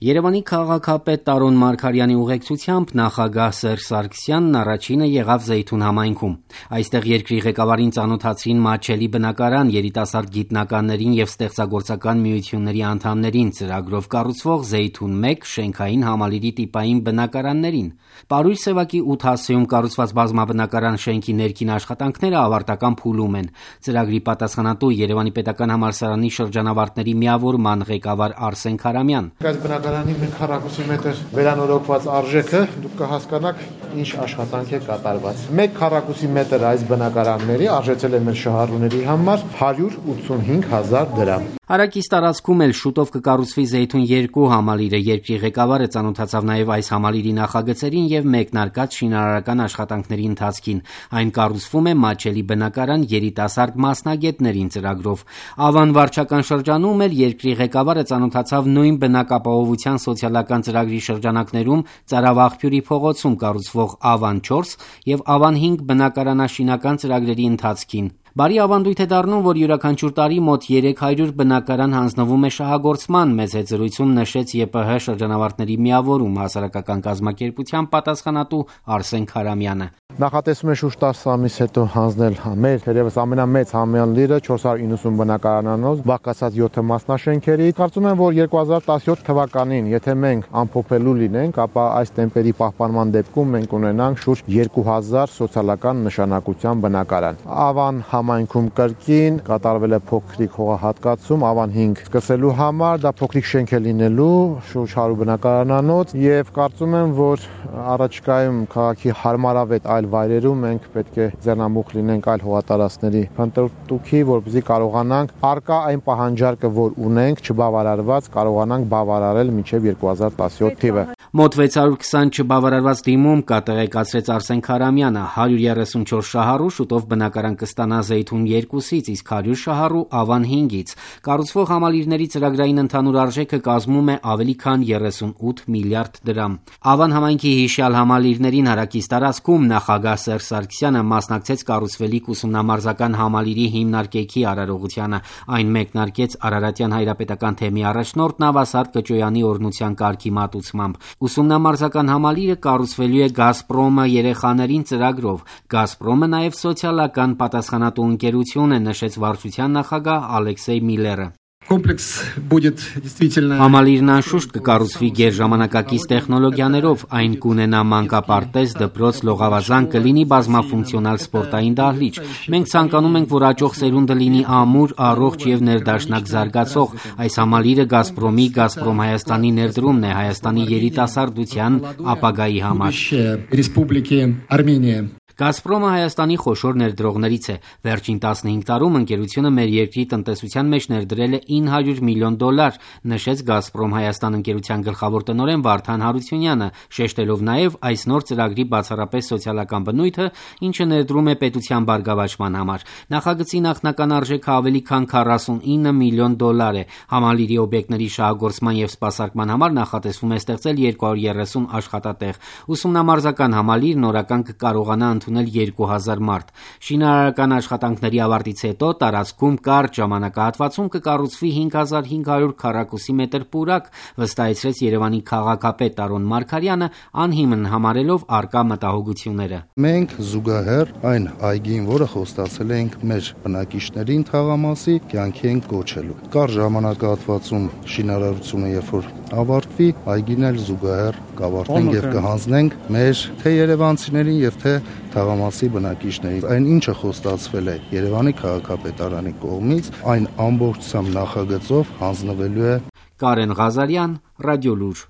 Երևանի քաղաքապետ Տարոն Մարգարյանի ուղեկցությամբ նախագահ Սերժ Սարգսյանն առաջինը եղավ Զեյթուն համայնքում։ Այստեղ երկրի ղեկավարին ծանոթացրին մատչելի բնակարան, երիտասարդ գիտնականներին եւ ստեղծագործական միությունների անդամներին, ծրագրով կառուցվող Զեյթուն 1 շենքային համալիրի տիպային բնակարաններին։ Պարույր Սևակի 8 հասցեում կառուցված բազմաբնակարան շենքի ներքին աշխատանքները ավարտական փուլում են։ Ծրագրի պատասխանատու Երևանի պետական համալսարանի շրջանավարտների միավորման ղեկավար Արսեն Քարամյան։ Բնակարանի 1 քառակուսի մետր վերանորոգված արժեքը դուք կհասկանաք ինչ աշխատանք է կատարված։ 1 քառակուսի մետր այս բնակարանների արժեցել է մեր շահառուների համար 185,000 դրամ։ Հարակից տարածքում էլ շուտով կկառուցվի Զեյթուն 2 համալիրը։ Երկրի ղեկավարը ծանոթացավ նաև այս համալիրի նախագծերին եւ մեկնարկած շինարարական աշխատանքների ընթացքին։ Այն կառուցվում է մատչելի բնակարան երիտասարդ մասնագետներին ծրագրով։ Ավան վարչական շրջանում էլ երկրի ղեկավարը ծանոթացավ նույն բնակապահովության սոցիալական ծրագրի շրջանակներում Ծարավաղբյուրի փողոցում կառուցվող Ավան 4 եւ Ավան 5 բնակարանաշինական ծրագրերի ընթացքին։ Բարի ավանդույթ է դառնում, որ յուրաքանչյուր տարի մոտ 300 բնակարան հանձնվում է շահագործման, մեծ զրույցում նշեց ԵՊՀ շրջանավարտների միավորում հասարակական կազմակերպության պատասխանատու Արսեն Քարամյանը։ Նախատեսում է շուրջ 10 ամիս հետո հանձնել մեր թերևս ամենամեծ համալիրը 490 բնակարանանոց, բաղկացած 7 մասնաշենքերի։ Կարծում եմ, որ 2017 թվականին, եթե մենք ամփոփելու լինենք, ապա այս տեմպերի պահպանման դեպքում մենք ունենանք շուրջ 2000 սոցիալական նշանակության բնակարան։ Ավան համայնքում կրկին կատարվել է փոքրիկ հողահատկացում Ավան 5 սկսելու համար, դա փոքրիկ շենք է լինելու, շուրջ 100 բնակարանանոց եւ կարծում եմ, որ առաջիկայում քաղաքի հարմարավետ այլ վայրերում մենք պետք է ձեռնամուխ լինենք այլ հողատարածքների փնտրտուքի, որպեսզի կարողանանք արկա այն պահանջարկը, որ ունենք, չբավարարված, կարողանանք բավարարել մինչև 2017 թիվը։ Մոտ 620 չբավարարված դիմում կա, տեղեկացրեց Արսեն Քարամյանը։ 134 շահառու շուտով բնակարան կստանա Զեյթուն 2-ից, իսկ 100 շահառու Ավան 5-ից։ Կառուցվող համալիրների ծրագրային ընդհանուր արժեքը կազմում է ավելի քան 38 միլիարդ դրամ։ Ավան համայնքի հիշյալ համալիրներին հարակից տարածքում նախագահ Սերժ Սարգսյանը մասնակցեց կառուցվելիք ուսումնամարզական համալիրի հիմնարկեքի արարողությանը։ Այն մեկնարկեց Արարատյան հայրապետական թեմի առաջնորդ Նավասարդ Կճոյանի օրհնության կարգի մատուցմամբ։ Ուսումնամարզական համալիրը կառուցվելու է Գազպրոմը երեխաներին ծրագրով։ Գազպրոմը նաև սոցիալական պատասխանատու ընկերություն է, նշեց վարչության նախագահ Ալեքսեյ Միլերը։ Համալիրն անշուշտ կկառուցվի գերժամանակակից տեխնոլոգիաներով, այն կունենա մանկապարտեզ, դպրոց, լողավազան, կլինի բազմաֆունկցիոնալ սպորտային դահլիճ։ Մենք ցանկանում ենք, որ աճող սերունդը լինի ամուր, առողջ եւ ներդաշնակ զարգացող։ Այս համալիրը Գազպրոմի, Գազպրոմ Հայաստանի ներդրումն է Հայաստանի երիտասարդության ապագայի համար։ Գազպրոմը Հայաստանի խոշոր ներդրողներից է։ Վերջին 15 տարում ընկերությունը մեր երկրի տնտեսության մեջ ներդրել է $900 միլիոն, նշեց Գազպրոմ Հայաստան ընկերության գլխավոր տնօրեն Վարդան Հարությունյանը, շեշտելով նաև այս նոր ծրագրի բացառապես սոցիալական բնույթը, ինչը ներդրում է պետության բարգավաճման համար։ Նախագծի նախնական արժեքը ավելի քան $49 միլիոն է։ Համալիրի օբյեկտների շահագործման եւ սպասարկման համար նախատեսվում է ստեղծել 230 աշխատատեղ։ Ուսումնամարզական համալիրն օրական կկարողանա ընդունել 2000 մարդ։ Շինարարական աշխատանքների ավարտից հետո տարածքում կարճ ժամանակահատվածում կկառուցվի 5500 քառակուսի մետր պուրակ, վստահեցրեց Երևանի քաղաքապետ Տարոն Մարգարյանը, անհիմն համարելով արկա մտահոգությունները։ Մենք զուգահեռ այն այգին, որը խոստացել ենք մեր բնակիչներին թաղամասի, կյանքի ենք կոչելու։ Կարճ ժամանակահատվածում շինարարությունը երբ որ ավարտվի, այգին էլ զուգահեռ կավարտենք եւ կհանձնենք մեր թե երևանցիներին եւ թե թաղամասի բնակիչներին։ Այն ինչը խոստացվել է Երևանի քաղաքապետարանի կողմից, այն ամբողջությամբ նախագծով հանձնվելու է։ Կարեն Ղազարյան, Ռադիոլուր։